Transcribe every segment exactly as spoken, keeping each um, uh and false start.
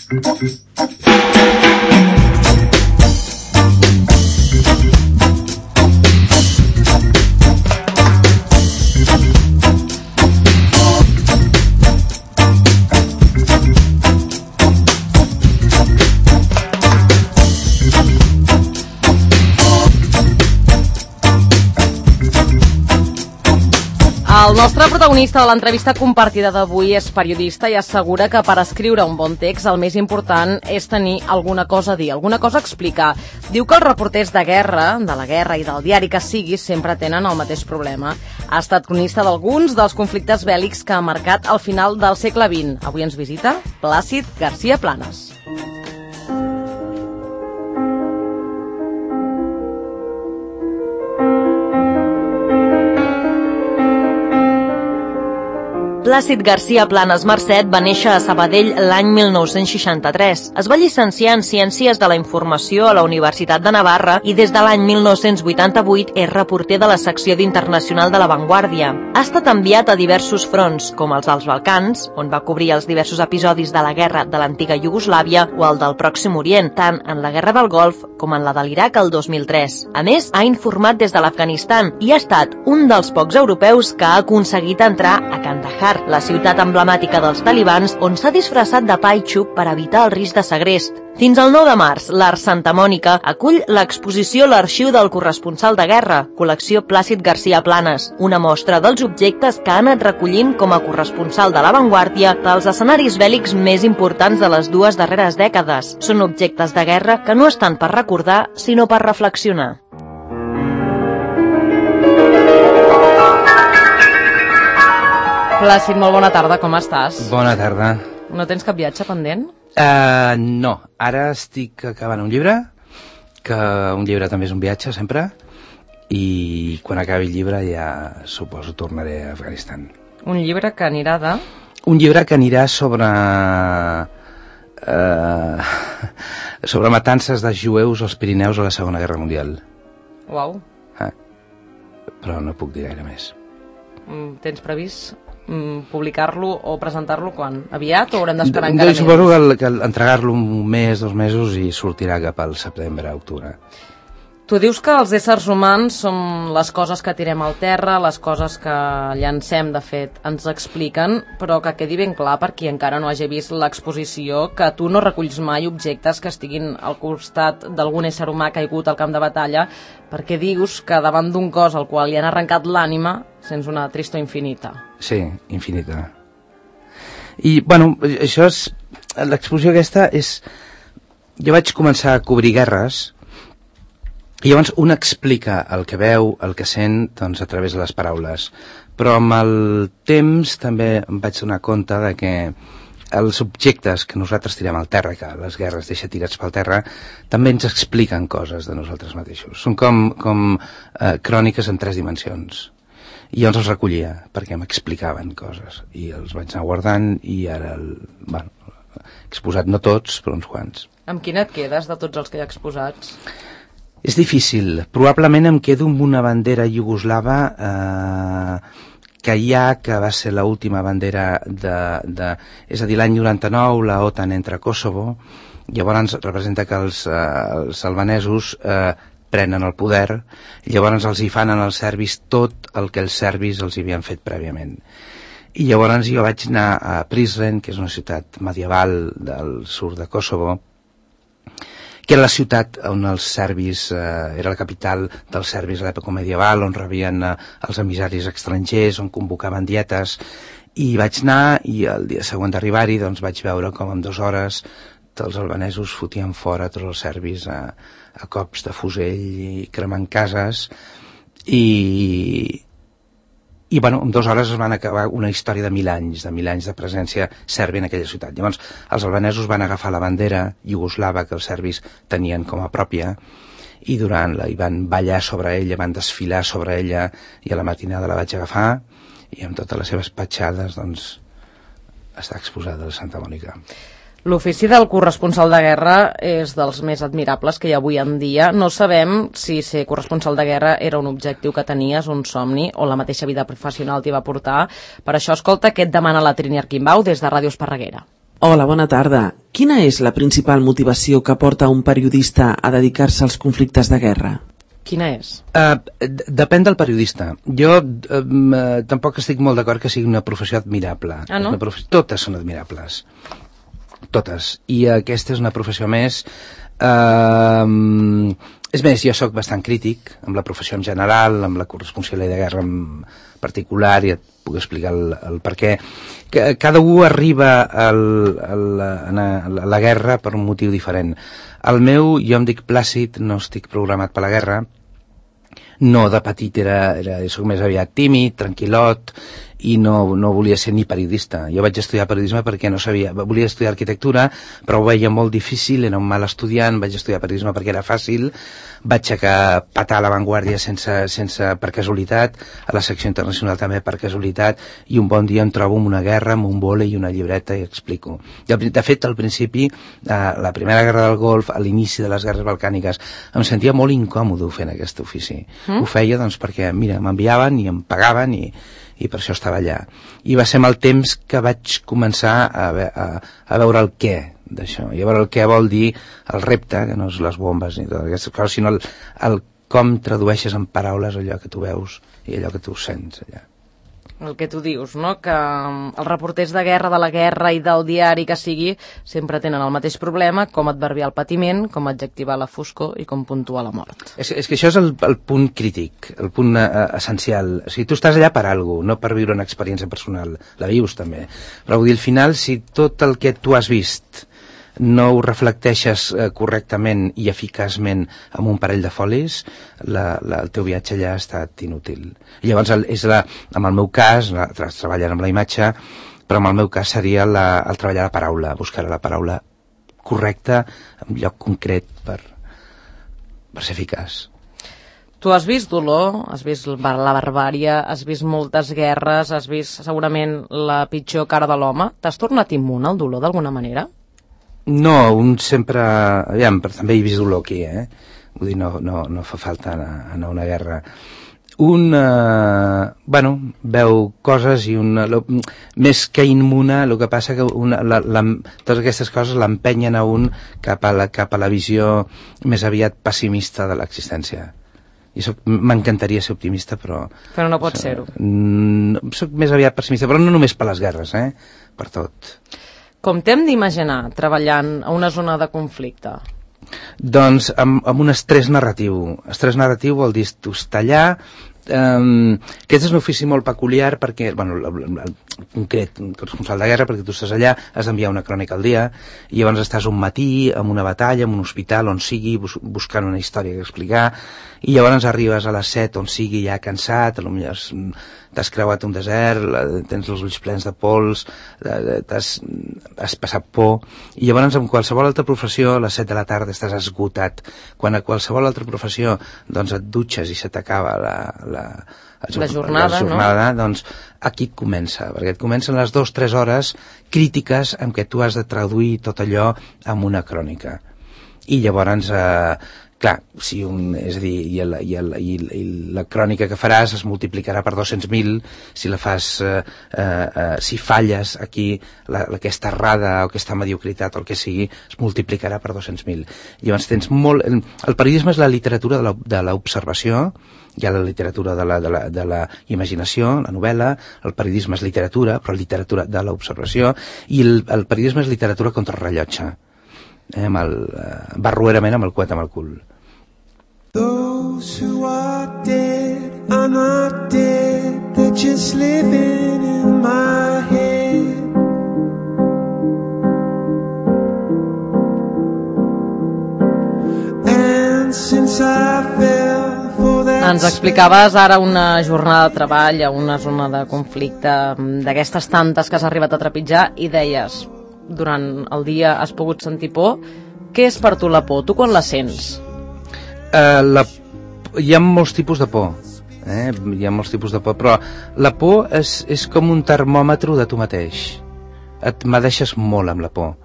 El nostre protagonista de l'entrevista compartida d'avui és periodista i assegura que per escriure un bon text el més important és tenir alguna cosa a dir, alguna cosa a explicar. Diu que els reporters de guerra, de la guerra i del diari que sigui, sempre tenen el mateix problema. Ha estat cronista d'alguns dels conflictes bèl·lics que ha marcat el final del segle vint. Avui ens visita Plàcid García Planas. Plàcid García Planas Marcet va néixer a Sabadell l'any mil nou-cents seixanta-tres. Es va llicenciar en Ciències de la Informació a la Universitat de Navarra i des de l'any mil nou-cents vuitanta-vuit és reporter de la secció d'Internacional de La Vanguardia. Ha estat enviat a diversos fronts, com els dels Balcans, on va cobrir els diversos episodis de la guerra de l'antiga Iugoslàvia o el del Pròxim Orient, tant en la guerra del Golf com en la de l'Iraq el dos mil tres. A més, ha informat des de l'Afganistan i ha estat un dels pocs europeus que ha aconseguit entrar a Kandahar, la ciutat emblemàtica dels talibans, on s'ha disfressat de pa i xup per evitar el risc de segrest. Fins al nou de març, l'Art Santa Mònica acull l'exposició L'Arxiu del Corresponsal de Guerra, col·lecció Plàcid García Planas, una mostra dels objectes que ha anat recollint com a corresponsal de La Vanguardia dels escenaris bèl·lics més importants de les dues darreres dècades. Són objectes de guerra que no estan per recordar, sinó per reflexionar. Plàcid, molt bona tarda, com estàs? Bona tarda. No tens cap viatge pendent? Uh, no, ara estic acabant un llibre, que un llibre també és un viatge, sempre, i quan acabi el llibre ja, suposo, tornaré a Afganistan. Un llibre que anirà de... Un llibre que anirà sobre... Uh, sobre matances de jueus als Pirineus a la Segona Guerra Mundial. Uau. Uh, però no puc dir gaire més. Tens previst publicar-lo o presentar-lo quan? Aviat o haurem d'esperar encara més? Suposo que, que entregar-lo un mes, dos mesos i sortirà cap al setembre, octubre. Tu dius que els éssers humans som les coses que tirem al terra, les coses que llancem, de fet, ens expliquen, però que quedi ben clar per qui encara no hagi vist l'exposició que tu no reculls mai objectes que estiguin al costat d'algun ésser humà caigut al camp de batalla, perquè dius que davant d'un cos al qual li han arrencat l'ànima sents una tristor infinita. Sí, infinita. I, bueno, això és... L'exposició aquesta és... Jo vaig començar a cobrir guerres i llavors un explica el que veu, el que sent, doncs a través de les paraules. Però amb el temps també em vaig donar compte de que els objectes que nosaltres tirem al terra, que les guerres deixa tirats pel terra, també ens expliquen coses de nosaltres mateixos. Són com, com eh, cròniques en tres dimensions. I llavors els recollia, perquè m'explicaven coses. I els vaig anar guardant i ara, el, bueno, he exposat no tots, però uns quants. Amb quin et quedes de tots els que hi ha exposats? És difícil. Probablement em quedo amb una bandera iugoslava eh, que hi ha, que va ser l'última bandera de, de... És a dir, l'any noranta-nou la OTAN entra a Kosovo, llavors representa que els, eh, els albanesos eh, prenen el poder, i llavors els hi fan als serbis tot el que els serbis els havien fet prèviament. I llavors jo vaig anar a Prizren, que és una ciutat medieval del sud de Kosovo, que era la ciutat on els serbis, eh, era la capital dels serbis a l'època medieval, on rebien eh, els emissaris estrangers, on convocaven dietes, i vaig anar, i el dia següent d'arribar-hi doncs vaig veure com en dues hores els albanesos fotien fora tots els serbis a, a cops de fusell i cremant cases, i, i bueno, en dues hores es van acabar una història de mil anys, de mil anys de presència sèrbia en aquella ciutat. Llavors, els albanesos van agafar la bandera iugoslava que els serbis tenien com a pròpia, i durant la, i van ballar sobre ella, van desfilar sobre ella, i a la matinada la vaig agafar, i amb totes les seves petjades, doncs, està exposada a Santa Mònica. L'ofici del corresponsal de guerra és dels més admirables que hi ha avui en dia. No sabem si ser corresponsal de guerra era un objectiu que tenies, un somni, o la mateixa vida professional t'hi va portar. Per això, escolta, què et demana la Trini Arquimbau des de Ràdio Esparreguera. Hola, bona tarda. Quina és la principal motivació que porta un periodista a dedicar-se als conflictes de guerra? Quina és? Uh, depèn del periodista. Jo uh, tampoc estic molt d'acord que sigui una professió admirable. Ah, no? Una professió... Totes són admirables. Totes. I aquesta és una professió més... Uh, és més, jo sóc bastant crític amb la professió en general, amb la corresponsalia de guerra en particular, i et puc explicar el, el per què. Que cada un arriba al, al, a la guerra per un motiu diferent. El meu, jo em dic Plàcid, no estic programat per la guerra. No, de petit era, era soc més aviat tímid, tranquil·lot, i no, no volia ser ni periodista. Jo vaig estudiar periodisme perquè no sabia... Volia estudiar arquitectura, però ho veia molt difícil, era un mal estudiant, vaig estudiar periodisme perquè era fàcil, vaig a patar a l'avantguàrdia sense, sense, per casualitat, a la secció internacional també per casualitat, i un bon dia em trobo amb una guerra, amb un vòlei i una llibreta i explico. I, de fet, al principi, la primera guerra del Golf, a l'inici de les guerres balcàniques, em sentia molt incòmode fent aquest ofici. Mm? Ho feia doncs perquè, mira, m'enviaven i em pagaven i, i per això estava allà. I va ser amb el temps que vaig començar a, a, a veure el què d'això, i a veure el què vol dir el repte, que no és les bombes ni totes aquestes coses, sinó el, el com tradueixes en paraules allò que tu veus i allò que tu sents allà. El que tu dius, no? Que els reporters de guerra, de la guerra i del diari que sigui, sempre tenen el mateix problema, com adverbiar el patiment, com adjectivar la foscor i com puntuar la mort. És, és que això és el, el punt crític, el punt uh, essencial. O sigui, tu estàs allà per alguna cosa, no per viure una experiència personal. La vius també. Però vull dir, al final, si tot el que tu has vist no ho reflecteixes eh, correctament i eficaçment amb un parell de folis, la, la, el teu viatge allà ha estat inútil. I llavors, el, és la, en el meu cas, la, treballant amb la imatge, però en el meu cas seria la, el treballar la paraula, buscar la paraula correcta, en lloc concret per, per ser eficaç. Tu has vist dolor, has vist la barbària, has vist moltes guerres, has vist segurament la pitjor cara de l'home. T'has tornat immune al dolor d'alguna manera? No, un sempre... Aviam, però també he vist dolor aquí, eh? Vull dir, no, no, no fa falta anar, anar a una guerra. Un, eh, bueno, veu coses i un... Lo, més que immune, el que passa que una, la, la, totes aquestes coses l'empenyen a un cap a, la, cap a la visió més aviat pessimista de l'existència. I m'encantaria ser optimista, però... Però no pot ser-ho. Soc més aviat pessimista, però no només per les guerres, eh? Per tot. Com t'hem d'imaginar treballant a una zona de conflicte? Doncs amb, amb un estrès narratiu. Estrès narratiu vol dir tu estar allà. Um, aquest és un ofici molt peculiar perquè, bueno, el, el, el concret, el responsable de guerra, perquè tu estàs allà, has d'enviar una crònica al dia, i llavors estàs un matí en una batalla, en un hospital, on sigui, bus buscant una història que explicar, i llavors arribes a les set on sigui ja cansat, potser t'has creuat un desert, tens els ulls plens de pols, has passat por, i llavors en qualsevol altra professió a les set de la tarda estàs esgotat. Quan a qualsevol altra professió doncs et dutxes i se t'acaba la, la, la jornada, la jornada no? Doncs aquí et comença, perquè et comencen les dues o tres hores crítiques en què tu has de traduir tot allò en una crònica. I llavors... Eh, clar, si un, és a dir, i, el, i, el, i, i la crònica que faràs es multiplicarà per dos-cents mil, si la fas, eh, eh, si falles aquí, la, aquesta errada o aquesta mediocritat o el que sigui, es multiplicarà per dos-cents mil. Llavors tens molt... El, el periodisme és la literatura de l'observació, hi ha la literatura de la, de, la, de la imaginació, la novel·la, el periodisme és literatura, però literatura de l'observació, i el, el periodisme és literatura contra el rellotge. Eh, amb el, eh, barruerament amb el coet amb el cul. Those who are dead are not dead, they're just living in my head. And since I fell for that... Ens explicaves ara una jornada de treball a una zona de conflicte d'aquestes tantes que has arribat a trepitjar i deies... durant el dia has pogut sentir por. Què és per tu la por? Tu quan la sents? Uh, la, hi ha molts tipus de por, eh? Hi ha molts tipus de por, però la por és, és com un termòmetre de tu mateix. Et m'adeixes molt amb la por.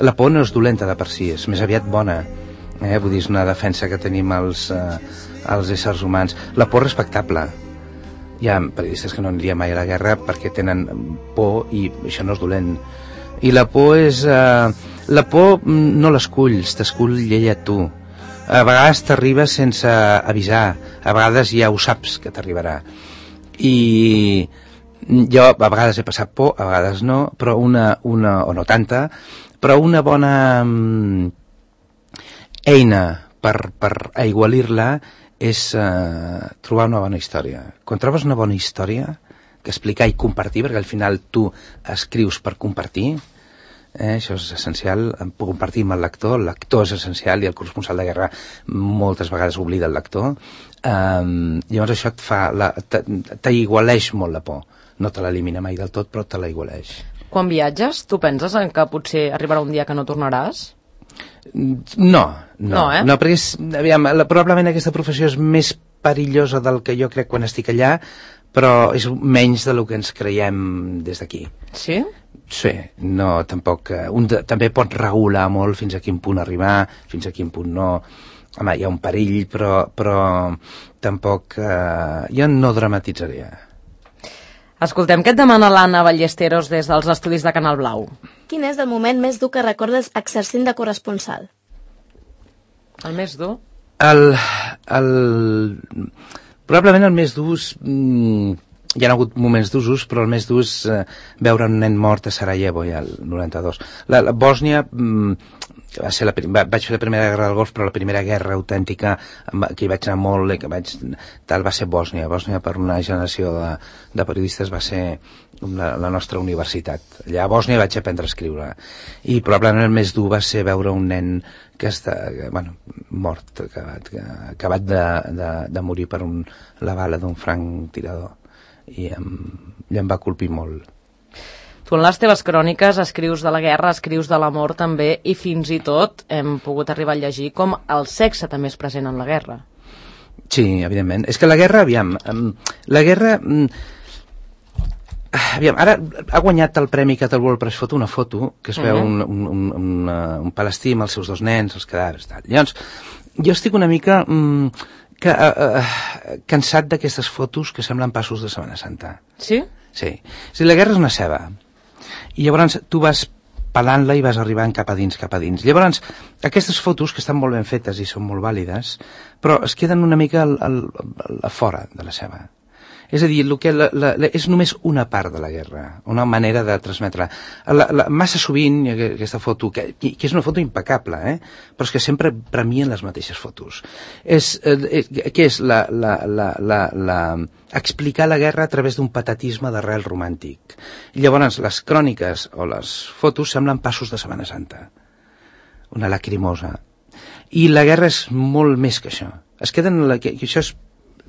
La por no és dolenta de per si, és més aviat bona, eh? Vull dir, és una defensa que tenim els, uh, els éssers humans. La por respectable. Hi ha periodistes que no anirien mai a la guerra perquè tenen por i això no és dolent. I la por és... Eh, la por no l'esculls, t'escull ella tu. A vegades t'arriba sense avisar, a vegades ja ho saps que t'arribarà. I jo a vegades he passat por, a vegades no, però una, una o no tanta, però una bona mm, eina per, per aigualir-la és eh, trobar una bona història. Quan trobes una bona història que explicar i compartir, perquè al final tu escrius per compartir, eh, això és essencial, compartir amb el lector, el lector és essencial i el corresponsal de guerra moltes vegades oblida el lector, eh, llavors això et fa, t'aigualeix molt la por, no te l'elimina mai del tot, però te l'aigualeix. Quan viatges, tu penses en que potser arribarà un dia que no tornaràs? No, no, no, eh? no perquè és, aviam, la, probablement aquesta professió és més perillosa del que jo crec quan estic allà, però és menys del que ens creiem des d'aquí. Sí? Sí, no, tampoc... Un de, també pot regular molt fins a quin punt arribar, fins a quin punt no. Home, hi ha un perill, però, però tampoc... Eh, jo no dramatitzaria. Escoltem què et demana l'Anna Ballesteros des dels estudis de Canal Blau. Quin és el moment més dur que recordes exercint de corresponsal? El més dur? El... el probablement el més dur és... Mm, hi ha hagut moments d'usos, però el més dur és eh, veure un nen mort a Sarajevo ja el noranta-dos. La, la Bòsnia... Mm, va ser la, va, vaig fer la primera guerra del Golf, però la primera guerra autèntica que hi vaig anar molt i que vaig tal va ser Bòsnia. Bòsnia per una generació de, de periodistes va ser la, la nostra universitat. Allà a Bòsnia vaig aprendre a escriure i probablement el més dur va ser veure un nen que està, que, bueno, mort, acabat, que, acabat de, de, de morir per un, la bala d'un franctirador i em, i em va colpir molt. Tu en les teves cròniques escrius de la guerra, escrius de l'amor també, i fins i tot hem pogut arribar a llegir com el sexe també és present en la guerra. Sí, evidentment. És que la guerra, aviam, la guerra... Aviam, ara ha guanyat el Premi Catal World Press Photo una foto que es veu uh-huh. un, un, un, un palestí amb els seus dos nens, els cadàvers, tal. Llavors, jo estic una mica mm, que, uh, uh, cansat d'aquestes fotos que semblen passos de Setmana Santa. Sí? Sí. O sigui, la guerra és una ceba. I llavors tu vas pelant-la i vas arribant cap a dins, cap a dins. Llavors, aquestes fotos, que estan molt ben fetes i són molt vàlides, però es queden una mica al, al, a fora de la ceba. És a dir, el que la, la, la, és només una part de la guerra, una manera de transmetre. La, la, massa sovint, aquesta foto, que, que és una foto impecable, eh? Però és que sempre premien les mateixes fotos. És, eh, què és? La, la, la, la, la, explicar la guerra a través d'un patatisme d'arrel romàntic. I llavors les cròniques o les fotos semblen passos de Setmana Santa. Una lacrimosa. I la guerra és molt més que això. Es queden... La, que, que això és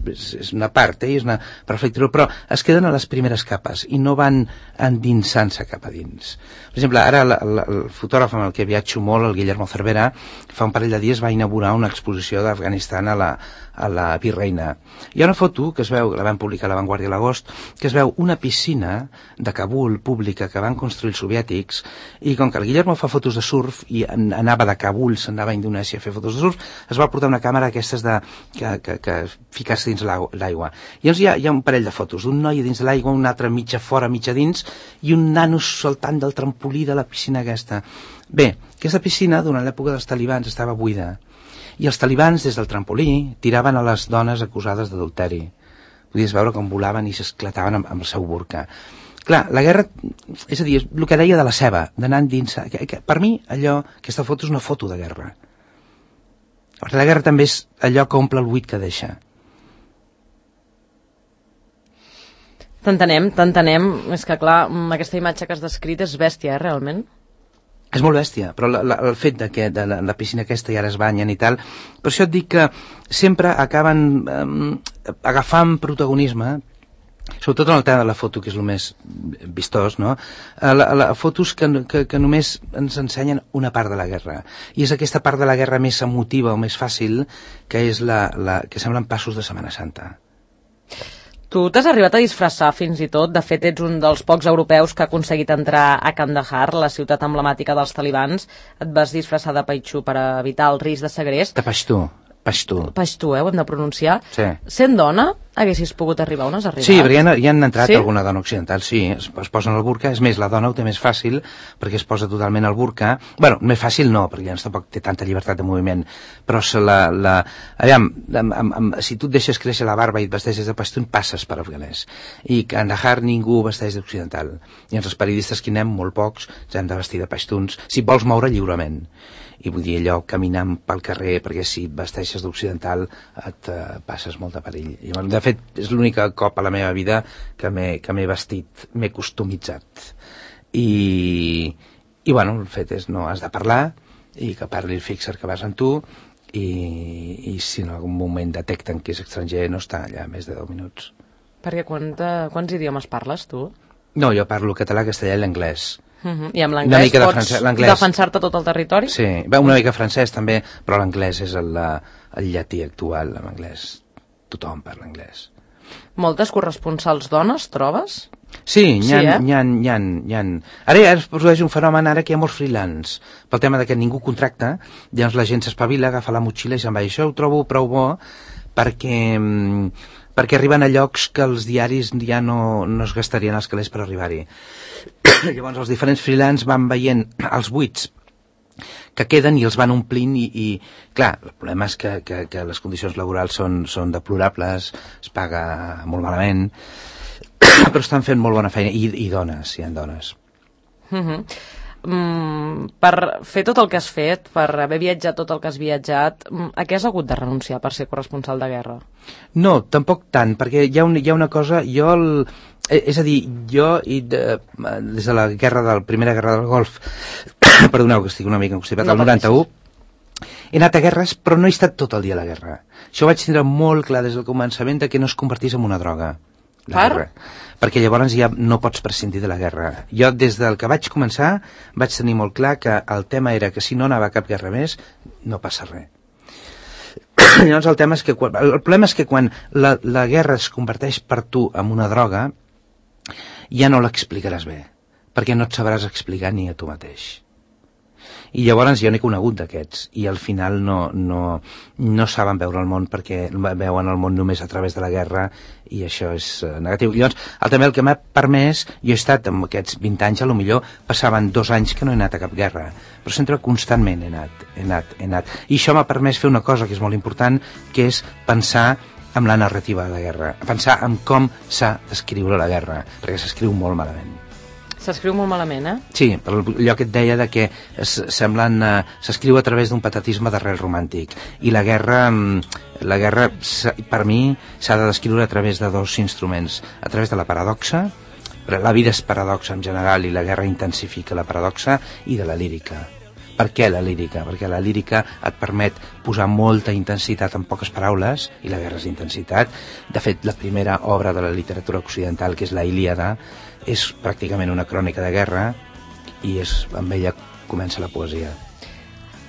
és una part, eh? És una perfecció, però es queden a les primeres capes i no van endinsant-se cap a dins. Per exemple, ara la, la, el fotògraf amb el que viatjo molt, el Guillermo Cervera, fa un parell de dies va inaugurar una exposició d'Afganistan a la, a la Virreina. Hi ha una foto que es veu, la van publicar a La Vanguardia a l'agost, que es veu una piscina de Kabul pública que van construir els soviètics, i com que el Guillermo fa fotos de surf i anava de Kabul, s'anava a Indonèsia a fer fotos de surf, es va portar una càmera aquestes de, que, que, que ficar-se dins l'aigua. I llavors hi ha, hi ha un parell de fotos d'un noi dins de l'aigua, un altre mitja fora, mitja dins, i un nano saltant del trampolí de la piscina aquesta. Bé, aquesta piscina durant l'època dels talibans estava buida, i els talibans des del trampolí tiraven a les dones acusades d'adulteri. Podies veure com volaven i s'esclataven amb, amb el seu burca. Clar, la guerra, és a dir, el que deia de la ceba, d'anar endins, que, que, per mi allò, aquesta foto és una foto de guerra. Perquè la guerra també és allò que omple el buit que deixa. T'entenem, t'entenem. És que, clar, aquesta imatge que has descrit és bèstia, eh, realment? És molt bèstia, però la, la, el fet de que de la, la piscina aquesta i ara es banyen i tal, per això et dic que sempre acaben eh, agafant protagonisme, sobretot en el tema de la foto, que és el més vistós, no? La, la, fotos que, que, que només ens ensenyen una part de la guerra, i és aquesta part de la guerra més emotiva o més fàcil, que és la, la que semblen passos de Setmana Santa. Tu t'has arribat a disfressar fins i tot, de fet ets un dels pocs europeus que ha aconseguit entrar a Kandahar, la ciutat emblemàtica dels talibans. Et vas disfressar de paixtu per evitar el risc de segrest. De paixtu, paixtu. Paixtu, eh, ho hem de pronunciar. Sí. Sent dona, haguessis pogut arribar on has arribat. Sí, perquè hi, ha, hi han entrat sí? alguna dona occidental, sí, es, es posen el burca, és més, la dona ho té més fàcil perquè es posa totalment el burca, bueno, més fàcil no, perquè llavors tampoc té tanta llibertat de moviment, però se la, la, aviam, amb, amb, amb, si tu et deixes créixer la barba i et vesteixes de pastun, passes per afganès, i a Kandahar ningú vesteix d'occidental, i els periodistes que hi anem, molt pocs, ens hem de vestir de pastuns, si vols moure lliurement. I vull dir, allò, caminant pel carrer, perquè si et vesteixes d'occidental et uh, passes molt de perill. I, de fet, és l'únic cop a la meva vida que m'he vestit, m'he customitzat. I, i, bueno, el fet és, no, has de parlar, i que parli el fixer que vas amb tu, i, i si en algun moment detecten que és estranger, no està allà més de deu minuts. Perquè quanta, quants idiomes parles, tu? No, jo parlo català, castellà i l'anglès. Uh-huh. I amb l'anglès pots defensar-te tot el territori? Sí, bé, una mica francès també, però l'anglès és el, el llatí actual, en anglès. Tothom parla anglès. Moltes corresponsals dones, trobes? Sí, n'hi ha, sí, eh? n'hi ha, n'hi ha, n'hi ha. Ara ja es produeix un fenomen ara que hi ha molts freelance, pel tema de que ningú contracta, llavors la gent s'espavila, agafa la motxilla i se'n va. I això ho trobo prou bo perquè... perquè arriben a llocs que els diaris ja no, no es gastarien els calés per arribar-hi. Llavors els diferents freelance van veient els buits que queden i els van omplint i, i clar, el problema és que, que, que les condicions laborals són, són deplorables, es paga molt malament, però estan fent molt bona feina, i, i dones, hi ha dones. Uh-huh. Mm, per fer tot el que has fet, per haver viatjat tot el que has viatjat, a què has hagut de renunciar per ser corresponsal de guerra? No, tampoc tant, perquè hi ha, un, hi ha una cosa, jo, el, és a dir, jo i de, des de la guerra de la primera guerra del Golf, perdoneu que estic una mica constipat, no, el noranta-u, he anat a guerres, però no he estat tot el dia a la guerra. Això ho vaig tindre molt clar des del començament de que no es convertís en una droga. La per? Guerra. Perquè llavors ja no pots prescindir de la guerra. Jo des del que vaig començar vaig tenir molt clar que el tema era que si no anava a cap guerra més no passa res. Llavors el tema és que quan, el problema és que quan la, la guerra es converteix per tu en una droga ja no l'explicaràs bé, perquè no et sabràs explicar ni a tu mateix. I llavors jo n'he conegut d'aquests i al final no, no, no saben veure el món perquè veuen el món només a través de la guerra i això és negatiu. Llavors, el, també el que m'ha permès, jo he estat amb aquests vint anys, a lo millor passaven dos anys que no he anat a cap guerra, però sempre constantment he anat, he anat, he anat. I això m'ha permès fer una cosa que és molt important, que és pensar en la narrativa de la guerra, pensar en com s'ha d'escriure la guerra, perquè s'escriu molt malament. S'escriu molt malament, eh? Sí, per allò que et deia de que semblen, uh, s'escriu a través d'un patetisme d'arrel romàntic i la guerra, la guerra per mi s'ha de descriure a través de dos instruments, a través de la paradoxa, la vida és paradoxa en general i la guerra intensifica la paradoxa, i de la lírica. Per què la lírica? Perquè la lírica et permet posar molta intensitat en poques paraules, i la guerra és intensitat. De fet, la primera obra de la literatura occidental, que és la Ilíada, és pràcticament una crònica de guerra, i és, amb ella comença la poesia.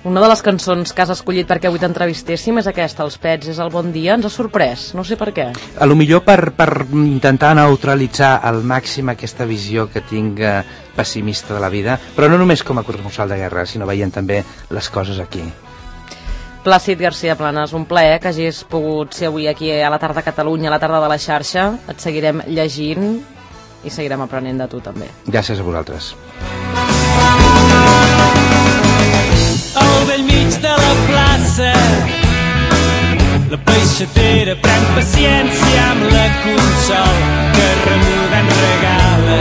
Una de les cançons que has escollit perquè avui t'entrevistéssim és aquesta, Els Pets és el bon dia. Ens ha sorprès, no sé per què. A lo millor per, per intentar neutralitzar al màxim aquesta visió que tinc eh, pessimista de la vida, però no només com a corresponsal de guerra, sinó veient també les coses aquí. Plàcid García Planas, un plaer que hagis pogut ser avui aquí a la tarda a Catalunya, a la tarda de la xarxa. Et seguirem llegint i seguirem aprenent de tu també. Gràcies a vosaltres. Al vell mig de la plaça la peixatera pren paciència amb la consol que remuda en regala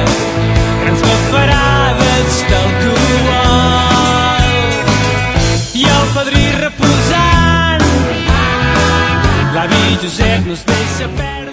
grans bafarades d'alcohol i el padrí reposant l'avi Josep no es deixa perdre.